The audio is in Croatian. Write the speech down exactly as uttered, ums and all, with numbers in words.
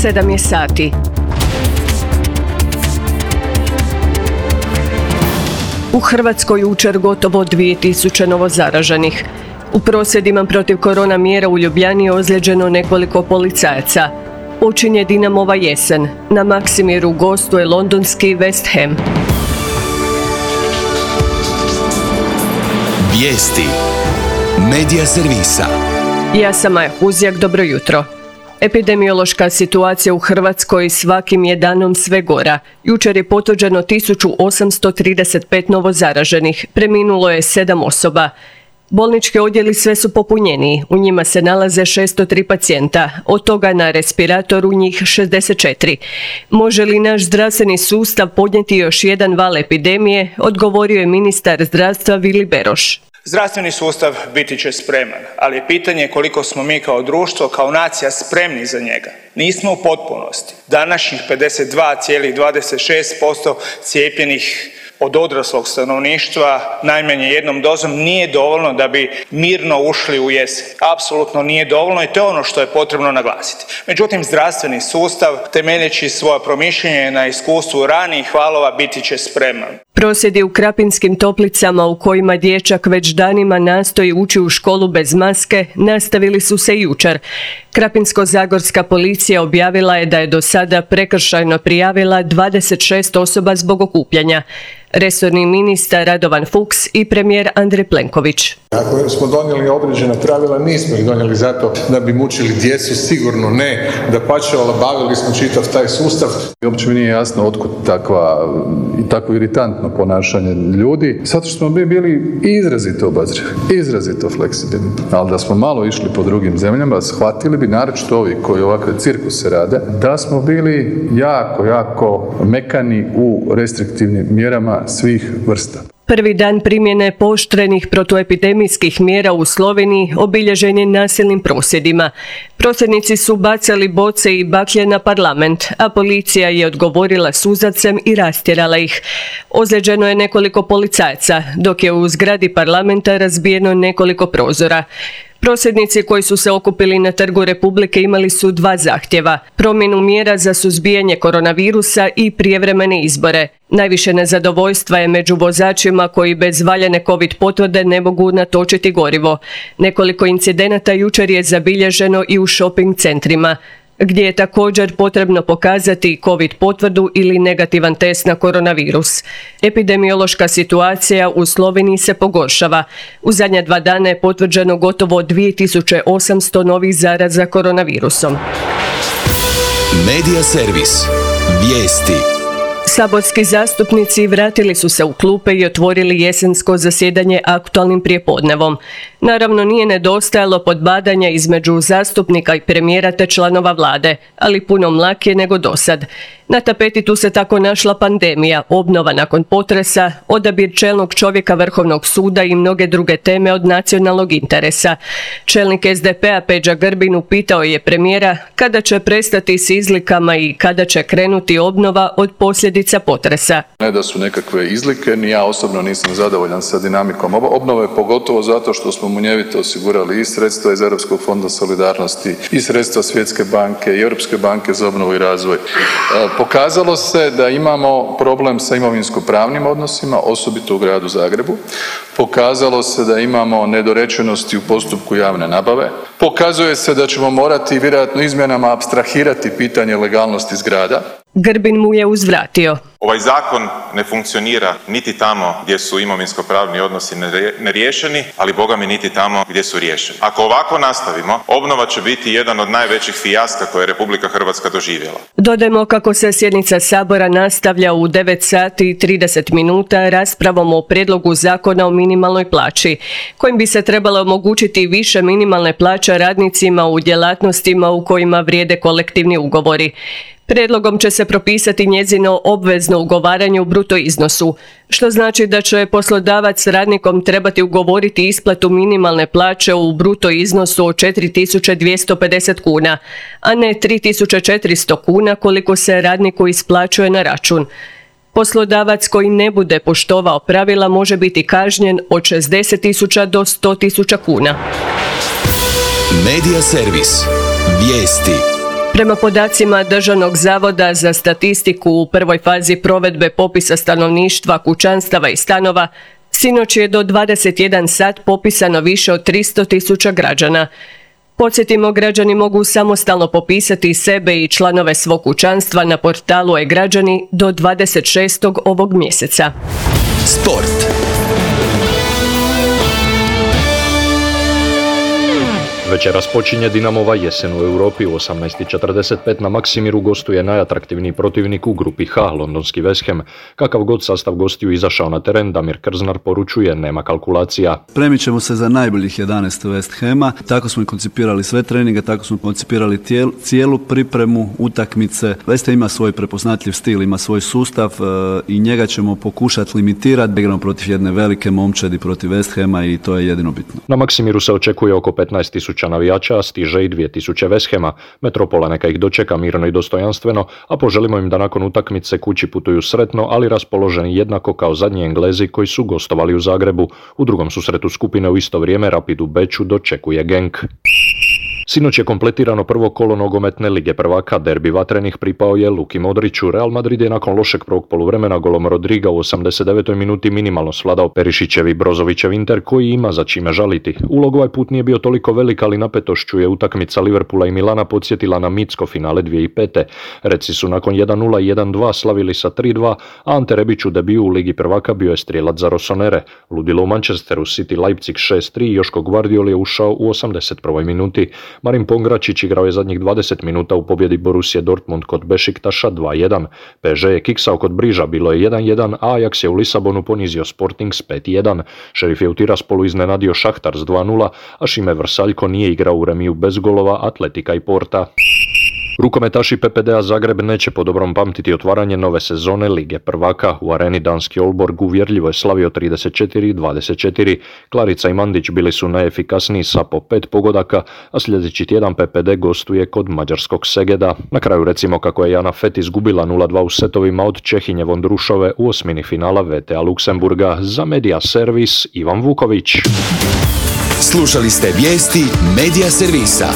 sedam je sati. U Hrvatskoj jučer gotovo dvije tisuće novozaraženih. U prosvjedima protiv korona mjera u Ljubljani je ozlijeđeno nekoliko policajaca. Počinje Dinamova jesen. Na Maksimiru gostuje londonski West Ham. Vijesti Medija servisa. Ja sam Maja Huzjak, dobro jutro. Epidemiološka situacija u Hrvatskoj svakim je danom sve gora. Jučer je potvrđeno tisuću osamsto trideset pet novozaraženih, preminulo je sedam osoba. Bolnički odjeli sve su popunjeniji, u njima se nalaze šesto tri pacijenta, od toga na respiratoru njih šezdeset četiri. Može li naš zdravstveni sustav podnijeti još jedan val epidemije, odgovorio je ministar zdravstva Vili Beroš. Zdravstveni sustav biti će spreman, ali je pitanje koliko smo mi kao društvo, kao nacija spremni za njega. Nismo u potpunosti. Današnjih pedeset dva zarez dvadeset šest posto cijepljenih od odraslog stanovništva najmanje jednom dozom nije dovoljno da bi mirno ušli u jesen. Apsolutno nije dovoljno i to je ono što je potrebno naglasiti. Međutim, zdravstveni sustav, temeljeći svoje promišljanje na iskustvu ranijih valova, biti će spreman. Prosvjedi u Krapinskim Toplicama u kojima dječak već danima nastoji ući u školu bez maske nastavili su se jučer. Krapinsko-zagorska policija objavila je da je do sada prekršajno prijavila dvadeset šest osoba zbog okupljanja. Resorni ministar Radovan Fuchs i premijer Andrej Plenković. Ako smo donijeli određena pravila, nismo ih donijeli zato da bi mučili djecu, sigurno ne, da pače, olabavili smo čitav taj sustav. I uopće mi nije jasno otkud takva i tako iritantno ponašanje ljudi, zato što smo mi bili izrazito obazrivi, izrazito fleksibilni. Ali da smo malo išli po drugim zemljama, shvatili bi, naročito ovi koji ovakve cirkuse rade, da smo bili jako, jako mekani u restriktivnim mjerama svih vrsta. Prvi dan primjene pooštrenih protuepidemijskih mjera u Sloveniji obilježen je nasilnim prosvjedima. Prosvjednici su bacali boce i baklje na parlament, a policija je odgovorila suzavcem i rastjerala ih. Ozlijeđeno je nekoliko policajaca, dok je u zgradi parlamenta razbijeno nekoliko prozora. Prosvjednici koji su se okupili na Trgu Republike imali su dva zahtjeva, promjenu mjera za suzbijanje koronavirusa i prijevremene izbore. Najviše nezadovoljstva je među vozačima koji bez valjane covid potvrde ne mogu natočiti gorivo. Nekoliko incidenata jučer je zabilježeno i u shopping centrima, gdje je također potrebno pokazati covid potvrdu ili negativan test na koronavirus. Epidemiološka situacija u Sloveniji se pogoršava. U zadnja dva dana je potvrđeno gotovo dvije tisuće osamsto novih zaraza koronavirusom. Medija servis. Vijesti. Saborski zastupnici vratili su se u klupe i otvorili jesensko zasjedanje aktualnim prijepodnevom. Naravno, nije nedostajalo podbadanja između zastupnika i premijera te članova vlade, ali puno mlakije nego dosad. Na tapeti tu se tako našla pandemija, obnova nakon potresa, odabir čelnog čovjeka Vrhovnog suda i mnoge druge teme od nacionalnog interesa. Čelnik es de pe a Peđa Grbin upitao je premijera kada će prestati s izlikama i kada će krenuti obnova od posljedica potresa. Ne da su nekakve izlike, ni ja osobno nisam zadovoljan sa dinamikom obnove, pogotovo zato što smo munjevito osigurali i sredstva iz Europskog fonda solidarnosti, i sredstva Svjetske banke, i Europske banke za obnovu i razvoj. Pokazalo se da imamo problem sa imovinsko-pravnim odnosima, osobito u gradu Zagrebu. Pokazalo se da imamo nedorečenosti u postupku javne nabave. Pokazuje se da ćemo morati vjerojatno izmjenama apstrahirati pitanje legalnosti zgrada. Grbin mu je uzvratio. Ovaj zakon ne funkcionira niti tamo gdje su imovinsko-pravni odnosi neriješeni, ali boga mi niti tamo gdje su riješeni. Ako ovako nastavimo, obnova će biti jedan od najvećih fijaska koje je Republika Hrvatska doživjela. Dodajmo kako se sjednica Sabora nastavlja u devet sati i trideset minuta raspravom o prijedlogu zakona o minimalnoj plaći, kojim bi se trebalo omogućiti više minimalne plaće radnicima u djelatnostima u kojima vrijede kolektivni ugovori. Prijedlogom će se propisati njezino obvezno ugovaranje u bruto iznosu, što znači da će poslodavac s radnikom trebati ugovoriti isplatu minimalne plaće u bruto iznosu od četiri tisuće dvjesto pedeset kuna, a ne tri tisuće četiristo kuna koliko se radniku isplaćuje na račun. Poslodavac koji ne bude poštovao pravila može biti kažnjen od šezdeset tisuća do sto tisuća kuna. Medija servis. Vijesti. Prema podacima Državnog zavoda za statistiku u prvoj fazi provedbe popisa stanovništva, kućanstava i stanova, sinoć je do dvadeset jedan sat popisano više od tristo tisuća građana. Podsjetimo, građani mogu samostalno popisati sebe i članove svog kućanstva na portalu e-građani do dvadeset šestog ovog mjeseca. Sport. Večeras počinje Dinamova jesen u Europi. U osamnaest i četrdeset pet na Maksimiru gostuje najatraktivniji protivnik u grupi H, londonski West Ham. Kakav god sastav gostiju izašao na teren, Damir Krznar poručuje, nema kalkulacija. Premit ćemo se za najboljih jedanaest West Hama. Tako smo i koncipirali sve treninge, tako smo koncipirali tijel, cijelu pripremu utakmice. West Ham ima svoj prepoznatljiv stil, ima svoj sustav e, i njega ćemo pokušati limitirati. Igramo protiv jedne velike momčadi, protiv West Hama i to je jedino bitno. Na Maksimiru se očekuje oko petnaest tisuća navijača, stiže i dvije tisuće West Hama. Metropola neka ih dočeka mirno i dostojanstveno, a poželimo im da nakon utakmice kući putuju sretno, ali raspoloženi jednako kao zadnji Englezi koji su gostovali u Zagrebu. U drugom susretu skupine u isto vrijeme Rapid u Beču dočekuje Genk. Sinoć je kompletirano prvo kolo nogometne lige prvaka. Derbi vatrenih pripao je Luki Modriću. Real Madrid je nakon lošeg prvog poluvremena golom Rodriga u osamdeset devetoj minuti minimalno svladao Perišićev i Brozovićev Inter, koji ima za čime žaliti. Ulog ovaj put nije bio toliko velik, ali napetošću je utakmica Liverpoola i Milana podsjetila na mitsko finale dvije tisuće pete. Reci su nakon jedan nula i jedan dva slavili sa tri dva, a Ante Rebić u debiju u ligi prvaka bio je strijelac za Rossonere. Ludilo u Manchesteru, City Leipzig šest tri, Joško Gvardiol je ušao u osamdeset prvoj minuti. Marin Pongračić igrao je zadnjih dvadeset minuta u pobjedi Borussia Dortmund kod Bešiktaša dva jedan. P S G je kiksao kod Briža, bilo je jedan jedan, a Ajax je u Lisabonu ponizio Sporting s pet jedan. Šerif je u Tiraspolu iznenadio Šahtar s dva nula, a Šime Vrsaljko nije igrao u remiju bez golova Atletika i Porta. Rukometaši P P D-a Zagreb neće po dobrom pamtiti otvaranje nove sezone Lige prvaka. U areni danski Olborg uvjerljivo je slavio trideset četiri dvadeset četiri. Klarica i Mandić bili su najefikasniji sa po pet pogodaka, a sljedeći tjedan P P D gostuje kod mađarskog Segeda. Na kraju recimo kako je Jana Fet izgubila nula dva u setovima od Čehinje Vondrušove u osmini finala V T A Luksemburga. Za Media Servis Ivan Vuković. Slušali ste vijesti Media Servisa.